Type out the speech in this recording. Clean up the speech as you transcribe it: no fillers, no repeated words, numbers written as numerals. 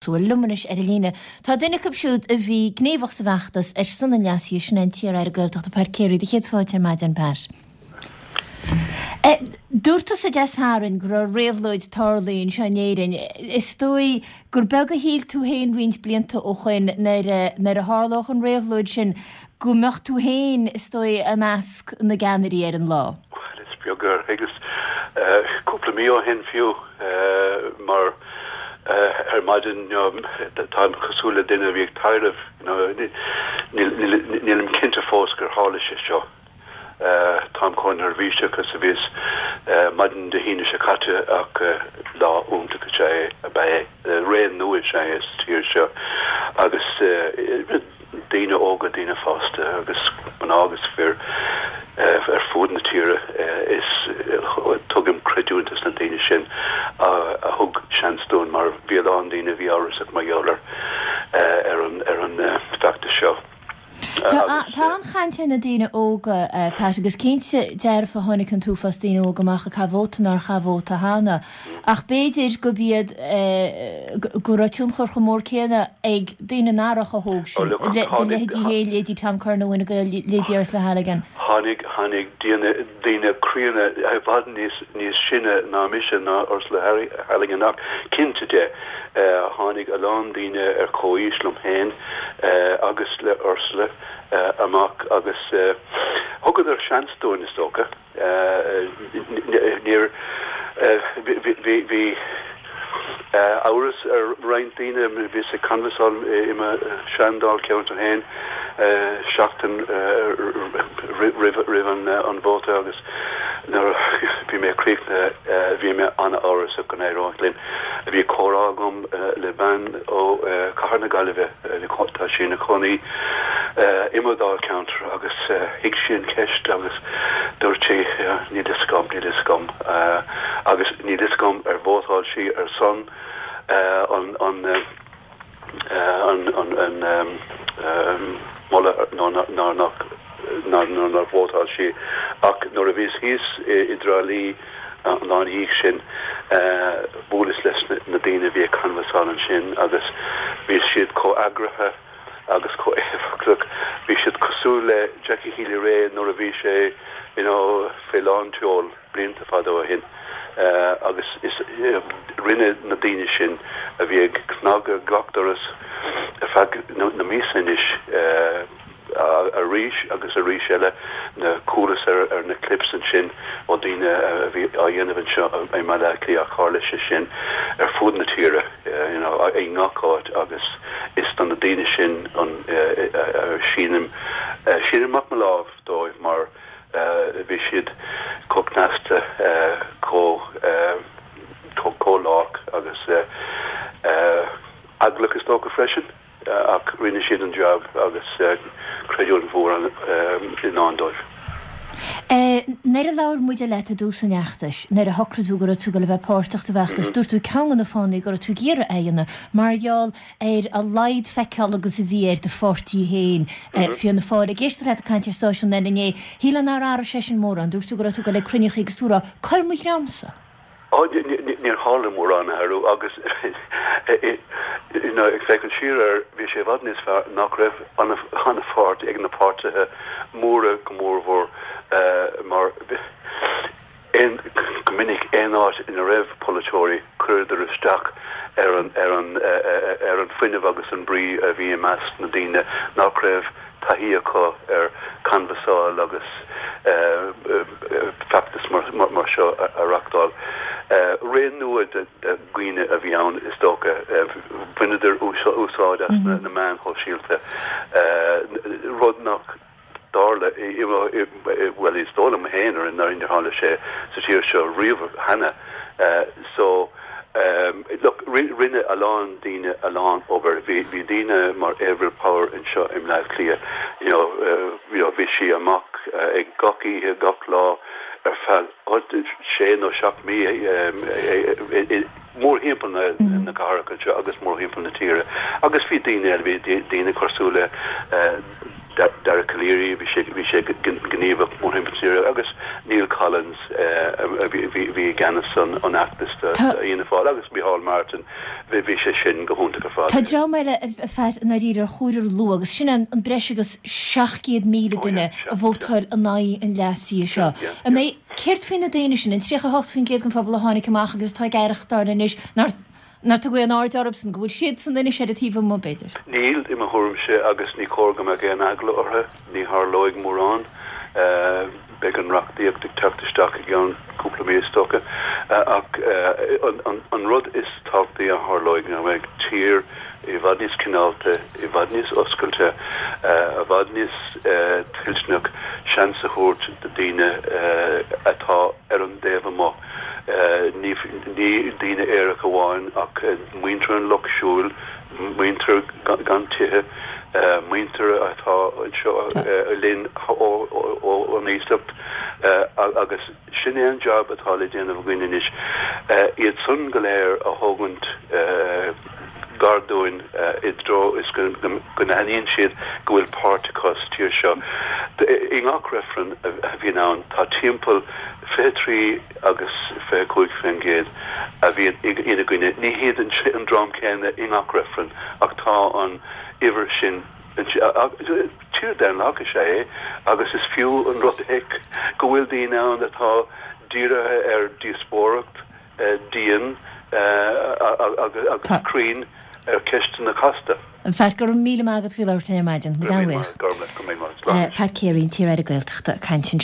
Bhuel, liom anois ar an líne tá duine acu siúd a bhí gníomhach sa bhfeachtas ar son an leasaithe, sin é an t-iar-aire Gaeltachta Pat Carey. Do chéad fáilte ar maidin, Pat. Dúirt tusa Dé Sathairn go raibh réabhlóid tarlaithe anseo in Éirinn. Is dóigh gur beag a shíl tú féin roinnt blianta ó shoin nuair a tharlódh an réabhlóid sin go mbeadh tú féin, is dóigh, i measc na gceannairí ar an lá. Bhuel, is beag ar thuigeas cúpla mí ó shin fiú mar ar maidin táim cosúil le duine a bhí ag taidhreamh, nílim cinnte fós gur tharla sé seo. Táim chomh neirbhíseach is a bhíos maidin Dé hAoine seo caite ach lá iontach is ea é, ab ea é. Ré nua is ea é sa tír seo agus daoine óga, daoine fásta agus mná agus fir ar fud na tíre is tugaim creidiúint dos na daoine sin a thug seans dúinn mar bhí a lán daoine a bhí amhrasach mar gheall ar ar an ar an bhfeachtas seo. Tá an-chaint ar na daoine óga, Pat, agus cinnte dearfa tháinig an t-uafás daoine óga amach ag caitheamh vóta nár chaith vóta cheana. Ach b'fhéidir gurb iad, go raibh tionchar chomh mór céanna ag daoine nach raibh chomh hóg sin, do leithéidí féin, leithéidí Tom Curran ó Fhine Gael, leithéidí Ursula Halligan. Tháinig, tháinig daoine, daoine críonna i bhfad níos, níos sine ná mise, ná Ursula Halligan ach cinnte de, tháinig a lán daoine ar comhaois liom féin agus le Ursula amach agus thugadar seans dúinn, is dócha. Níor, bhí amhras ar roinnt daoine, bhíos ag canbhasáil i mo shean-dáilcheantar féin seachtain roimh an vóta agus nuair a bhí mé críochnaithe bhí mé an-amhrasach go n-éireodh linn. Bhí comhrá agam le bean ó Chathair na Gaillimhe, tá sí ina cónaí i mo dháilcheantar agus thuig sí an cheist agus dúirt sí níl fhios agam, níl fhios agam agus níl fhios agam ar vótáil sí ar son an an an an moladh nó nó nach nó nár vótáil sí ach nuair a bhíos thíos i dTrá Lí an lá ina dhiaidh sin bhuaileas leis na daoine a bhí ag canbhasáil ansin agus bhí siad chomh eagraithe agus chomh éifeachtach. Bhí siad cosúil le Jackie Healy-Rae nuair a bhí sé you know fé lán tseoil blianta fada ó shin agus is rinne na daoine sin a bhí ag cnagadh gach doras ar feadh na míosa anois arís agus arís eile na chualas ar na clips ansin ó daoine a bhí á dhéanamh anseo i mBaile Átha Cliath ach tharla sé sin ar fud na tíre you know i ngach áit agus is do na daoine sin an sínim sínim amach mo lámh dóibh mar bhí siad chomh cneasta chomh chomh lách agus eaglach is dócha freisin. Ach rinne siad an jab agus creidiúint mhór i ndán dóibh. Nuair a labhair muide leat i dtús an fheachtais, nuair a shocraigh tú go raibh tú ag dul a bheith páirteach sa bhfeachtas, dúirt tú ceann de na fáthanna go raibh tú ag iarraidh é a dhéanamh mar gheall ar a laghad feiceáil agus a bhí ar do pháirtí féin, Fianna Fáil. Ag éisteacht leat ag caint ar stáisiún eile inné, shílfeá nár athraigh sé sin mórán. Dúirt tú go raibh tú ag dul ag cruinneachaí agus tú ag rá, 'Cuir mo dhreamsa! Á, níor tharla mórán athrú agus ag féachaint siar air, bhí sé i bhfad níos fearr nach raibh an-pháirt ag na páirtithe móra go mórmhór mar go minic aon áit ina raibh polaiteoirí chuireadar isteach ar an ar an ar an fuinneamh agus an brí a bhí i measc na daoine nach raibh taithí acu ar canbhasáil agus feachtas mar seo a reachtáil. Ré nua de dhaoine a bhí ann is dócha. Bhaineadar úsáid as na meáin shóisialta, rud nach dtarla, bhuel is dóigh liom féin nár tharla sé sa tír seo riamh cheana. So. Look, rinne a lán daoine a lán obair. Bhí bhí daoine mar Avril Power anseo i mBleá Cliath, you know, you know, bhí sí amach ag gach oíche, gach lá ar feadh sé nó seacht mí mórthimpeall na na cathrach anseo agus mórthimpeall na tíre. Agus bhí daoine eile, bhí daoine cosúil le Dara Calleary, bhí sé bhí sé gníomhach mórthimpeall na tíre agus Niall Collins a bhí i gceannas an fheachtais do Fhianna Fáil agus Micheál Martin. Bhí sé sin go hiontach ar fad. Tá dream eile, a Phat, i ndáiríre ar chóir a lua agus sin an breis agus 700,000 duine a vótáil in aghaidh an leasaithe seo. An mbeidh, céard faoi na daoine sin, an 38% den phobal a tháinig amach agus atá ag aireachtáil anois nár nár tugadh aon aird orthusan, go bhfuil siadsan anois ar an taobh amuigh, b'fhéidir? Níl, i mo thuairimse, agus ní cóir go mbeadh aon eagla orthu. Ní tharlóidh mórán. Beidh an reachtaíocht ag teacht isteach i gceann cúpla mí is dócha. Ach an rud is tábhachtaí a tharlóidh ná go mbeidh tír i bhfad níos cineálta, i bhfad níos oscailte, i bhfad níos toilteanach seans a thabhairt do daoine atá ar an dtaobh amuigh, ní daoine aeracha amháin ach muintir an lucht siúil, muintir gan tithe, muintir atá anseo linn ón iasacht agus sin é an jab atá le déanamh againn anois, iad san go léir a thógaint gar dúinn i dtreo is go n-aithníonn siad go bhfuil páirt acu sa tír seo. I ngach reifreann a bhíonn ann tá timpeall 23 agus 25% a bhíonn ina gcoinne. Ní hiad an dream céanna i ngach reifreann ach tá an uimhir sin. Tír daonlathach is ea é agus is fiú an rud é go bhfuil daoine ann atá dírithe ar dhíospóireacht dian agus cruinn ar cheisteanna casta. Pat, go raibh míle maith agat faoi labhairt linn ar maidin. Go raibh míle maith agat. Go raibh míle maith. Slán. Pat Carey, an t-iar-aire Gaeltachta, ag caint ansin.